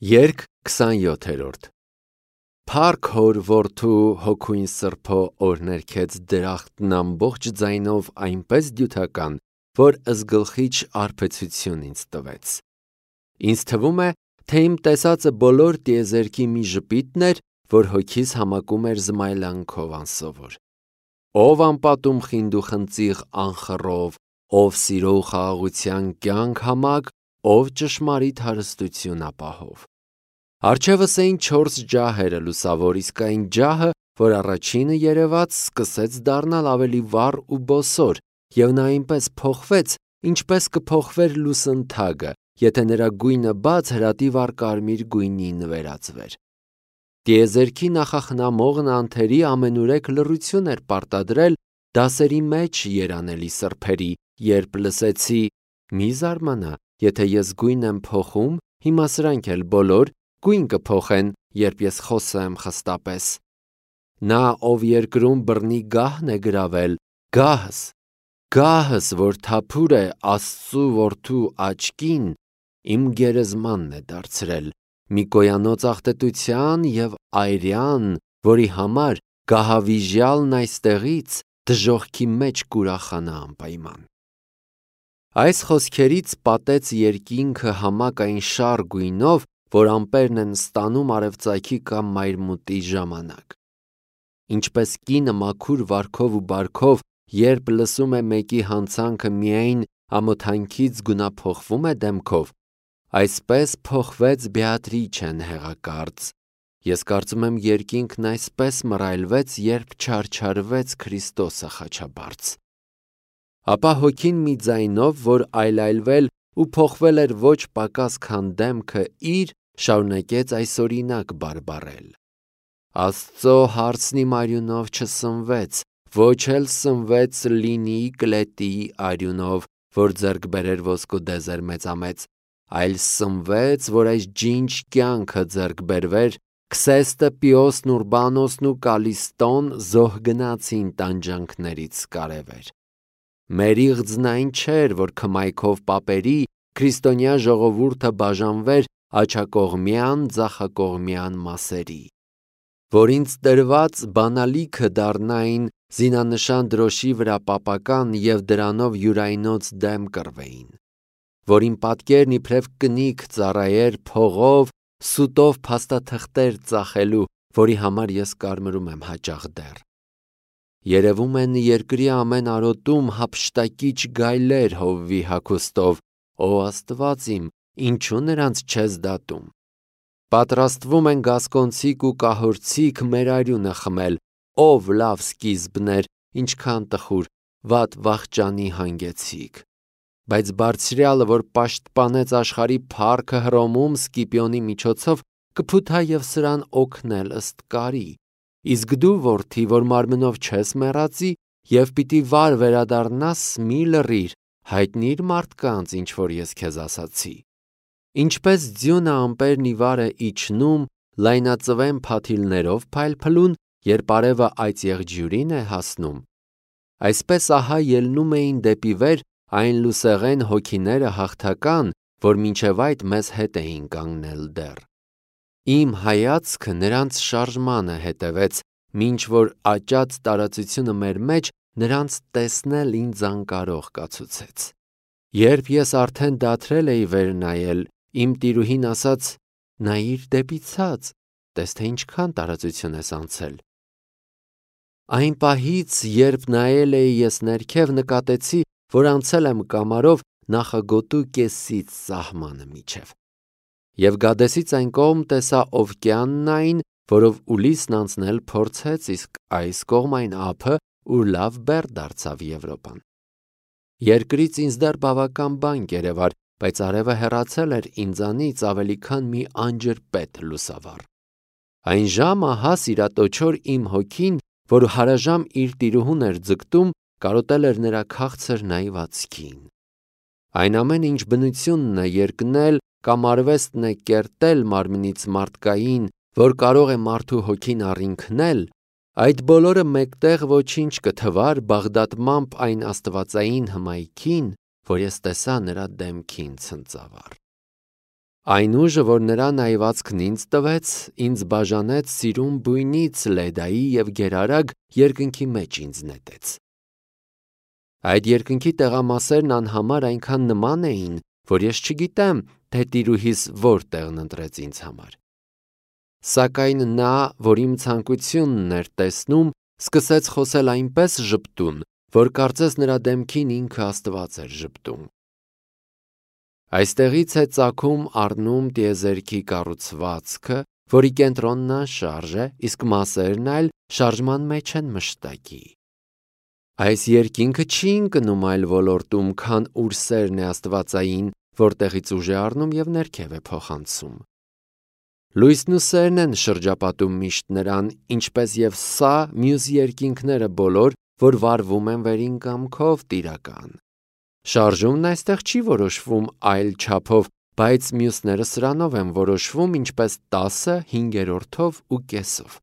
Երգ 27-րդ Փառք հոր որդու հոգույն սրբո օրներքեց դրախտն ամբողջ ձայնով այնպես դյութական, որ ըսգլխիչ արբեցություն ինձ տվեց։ Ինձ թվում է, թե իմ տեսածը բոլոր տիեզերքի մի ժպիտն էր, որ հոգիս համակում էր զմայլանքով անսովոր։ Ով անպատում խինդ ու խնծիղ անխռով, ով սիրո ու խաղաղության կյանք համակ, ով ճշմարիտ հարստություն ապահով։ Առջևս էին 4 ջահերը լուսավոր, իսկ այն ջահը, որ առաջինը երևաց, սկսեց դառնալ ավելի վառ ու բոսոր, և նա այնպես փոխվեց, ինչպես կփոխվեր լուսնթագը, եթե նրա գույնը բաց հրատիվառ կարմիր գույնի նվերածվեր։ Տիեզերքի նախախնամողն անթերի ամենուրեք լռություն էր պարտադրել դասերի մեջ երանելի սրբերի, երբ լսեցի. «Մի զարմանա, եթե ես գույն եմ փոխում, հիմա սրանք էլ բոլոր գույն կփոխեն, երբ ես խոսեմ խստապես»։ Նա, ով երկրում բռնի գահն է գրավել, գահս, որ թափուր է Աստծու որդու աչքին, իմ գերեզմանն է դարձրել, մի կոյանոց աղտոտության և այրյան, որի համար գահավիժյալն այստեղից դժոխքի մեջ կուրախանա անպայման։ Այս խոսքերից պատեց երկինքը համակ այն շառ գույնով, որ ամպերն են ստանում արևծագի կամ մայրմուտի ժամանակ։ Ինչպես կինը մաքուր վարքով ու բարքով, երբ լսում է մեկի հանցանքը միայն ամոթանքից գունափոխվում է դեմքով, այսպես փոխվեց Բեատրիչեն հեղակարծ։ Ես կարծում եմ երկինքն այսպես մռայլվեց, երբ չարչարվեց Քրիստոսը խաչաբարձ։ Ապա հոգին մի ձայնով, որ այլայլվել ու փոխվել էր ոչ պակաս քան դեմքը իր, շարունակեց այսօրինակ բարբառել. Աստծո հարցն իմ արյունով չսնվեց, ոչ էլ սնվեց Լինիի կլետիի արյունով, որ ձեռք բերեր ոսկու դեզեր մեծամեծ, այլ սնվեց, որ այս ջինջ կյանքը ձեռք բերվեր, Քսեստը, Պիոսն, Ուրբանոսն ու Կալիստոն զոհ գնացին տանջանքներից կարևեր։ Մեր իղձն այն չէր, որ քմայքով պապերի, քրիստոնյա ժողովուրդը բաժանվեր աջակողմյան, ձախակողմյան մասերի, որ ինձ տրված բանալիքը դառնային զինանշան դրոշի վրա պապական և դրանով յուրայնոց դեմ կռվեին, որ իմ պատկերն իբրև կնիկ ծառայեր փողով, սուտով փաստաթղթեր ծախելու, որի համար ես կարմրում եմ հաճախ դեռ։ Երևում են երկրի ամեն արոտում հափշտակիչ գայլեր Հովվի հագուստով, ո Աստված իմ, ինչու նրանց չես դատում։ Պատրաստվում են գասկոնցիք ու կահորցիք մեր արյունը խմել, ով լավ սկիզբներ, ինչքան տխուր, վատ վախճանի հանգեցիք։ Բայց Բարձրյալը, որ պաշտպանեց աշխարհի փառքը Հռոմում Սկիպիոնի միջոցով, կփութա և սրան օգնել ըստ կարի։ Իսկ դու, որդի, որ մարմնով չես մեռածի և պիտի վար վերադառնաս, մի լռիր, հայտնի՛ր մարդկանց, ինչ որ ես քեզ ասացի։ Ինչպես ձյունը ամպերն ի վար է իջնում, լայնածվեն փաթիլներով փայլփլուն, երբ արևը այծ եղջյուրին է հասնում, այսպես ահա ելնում էին դեպի վեր այն լուսեղեն հոգիները հաղթական, որ մինչև այդ մեզ հետ էին կանգնել դեռ։ Իմ հայացքը նրանց շարժմանը հետևեց, մինչ որ աճած տարածությունը մեր մեջ նրանց տեսնել ինձ անկարող կացուցեց։ Երբ ես արդեն դադրել էի վեր նայել, իմ տիրուհին ասաց. նայիր դեպի ցած, տես թե ինչքան տարածություն ես անցել։ Այն պահից, երբ նայել էի ես ներքև, նկատեցի, որ անցել եմ կամարով նախագոտու կեսից սահմանը միջև։ Եվ Գադեսից այն կողմ տեսա Օվկիանն այն, որով Ուլիսն անցնել փորձեց, իսկ այս կողմ այն ափը, ուր լավ բեռ դարձավ Եվրոպան։ Երկրից ինձ դեռ բավական բան կերևար, բայց արևը հեռացել էր ինձանից ավելի քան մի անջրպետ լուսավառ։ Այն ժամը ահա սիրատոչոր իմ հոգին, որ հարաժամ իր տիրուհուն էր ձգտում, կարոտել էր նրա քաղցր նայվածքին։ Այն ամեն ինչ բնությունն է երկնել կամ արվեստն է կերտել մարմնից մարդկային, որ կարող է մարդու հոգին առինքնել, այդ բոլորը մեկտեղ ոչինչ կթվար բաղդատմամբ այն աստվածային հմայքին, որ ես տեսա նրա դեմքին ցնծավառ։ Այն ուժը, որ նրա նայվածքն ինձ տվեց, ինձ բաժանեց սիրուն բույնից Լեդայի և գերարագ երկնքի մեջ ինձ նետեց։ Այդ երկնքի տեղամասերն անհամար այնքան նման էին, որ ես չգիտեմ, թե տիրուհիս որ տեղն ընտրեց ինձ համար։ Սակայն նա, որ իմ ցանկությունն էր տեսնում, սկսեց խոսել այնպես ժպտուն, որ կարծես նրա դեմքին ինքը Աստված էր ժպտում։ Այստեղից է ծագում առնում տիեզերքի կառուցվածքը, որի կենտրոնն անշարժ է, իսկ մասերն այլ շարժման մեջ են մշտակի։ Այս երկինքը չի ընկնում այլ ոլորտում, քան ուր սերն է աստվածային, որտեղից ուժ է առնում և ներքև է փոխանցում։ Լույսն ու սերն են շրջապատում միշտ նրան, ինչպես և սա մյուս երկինքները բոլոր, որ վարվում են վերին կամքով տիրական։ Շարժումն այստեղ չի որոշվում այլ չափով, բայց մյուսները սրանով են որոշվում, ինչպես 10-ը 5-րդով ու կեսով։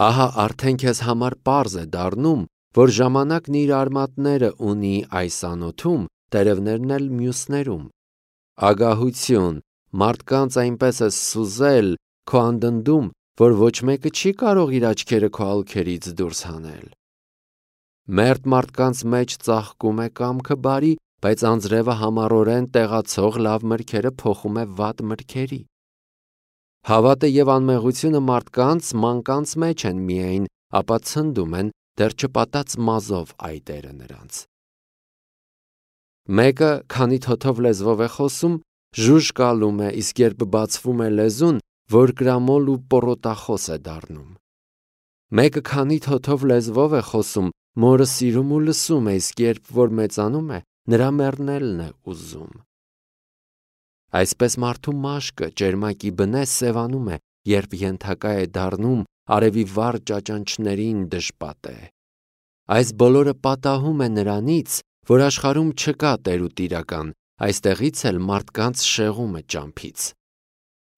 Ահա արդեն քեզ համար պարզ է դառնում, որ ժամանակն իր արմատները ունի այս անոթում, տերևներն էլ մյուսներում։ Ագահություն, մարդկանց այնպես է սուզել քո անդնդում, որ ոչ մեկը չի կարող իր աչքերը քո ալքերից դուրս հանել։ Մերդ մարդկանց մեջ ծաղկում է կամքը բարի, բայց անձրևը համառորեն տեղացող լավ մրգերը փոխում է վատ մրգերի։ Հավատը և անմեղությունը մարդկանց մանկանց մեջ են միայն, ապա ցնդում են դեռ չպատած մազով այտերը նրանց։ Մեկը, քանի թոթով լեզվով է խոսում, ժուժկալում է, իսկ երբ բացվում է լեզուն, որկրամոլ ու պոռոտախոս է դառնում։ Մեկը, քանի թոթով լեզվով է խոսում, մորը սիրում ու լսում է, իսկ երբ որ մեծանում է, նրա մեռնելն է ուզում։ Այսպես մարդու մաշկը ճերմակի բնե սևանում է, երբ ենթակա է դառնում արևի վառ ճաճանչներին դժպատե։ Այս բոլորը պատահում է նրանից, որ աշխարհում չկա տեր ու տիրական, այստեղից էլ մարդկանց շեղումը ճամփից։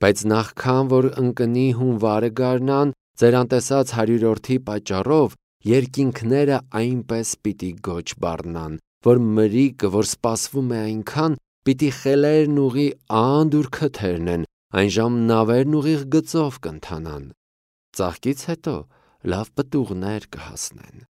Բայց նախքան որ ընկնի հունվարը գարնան, ձեր անտեսած 100-րդի պատճառով երկինքները այնպես պիտի գոչ բառնան, որ մրիկը, որ սպասվում է այնքան, պիտի խելերն ուղի անդուր քթերնեն, այնժամ նավերն ուղիղ գծով կընթանան։ Ծաղկից հետո լավ պտուղներ կհասնեն։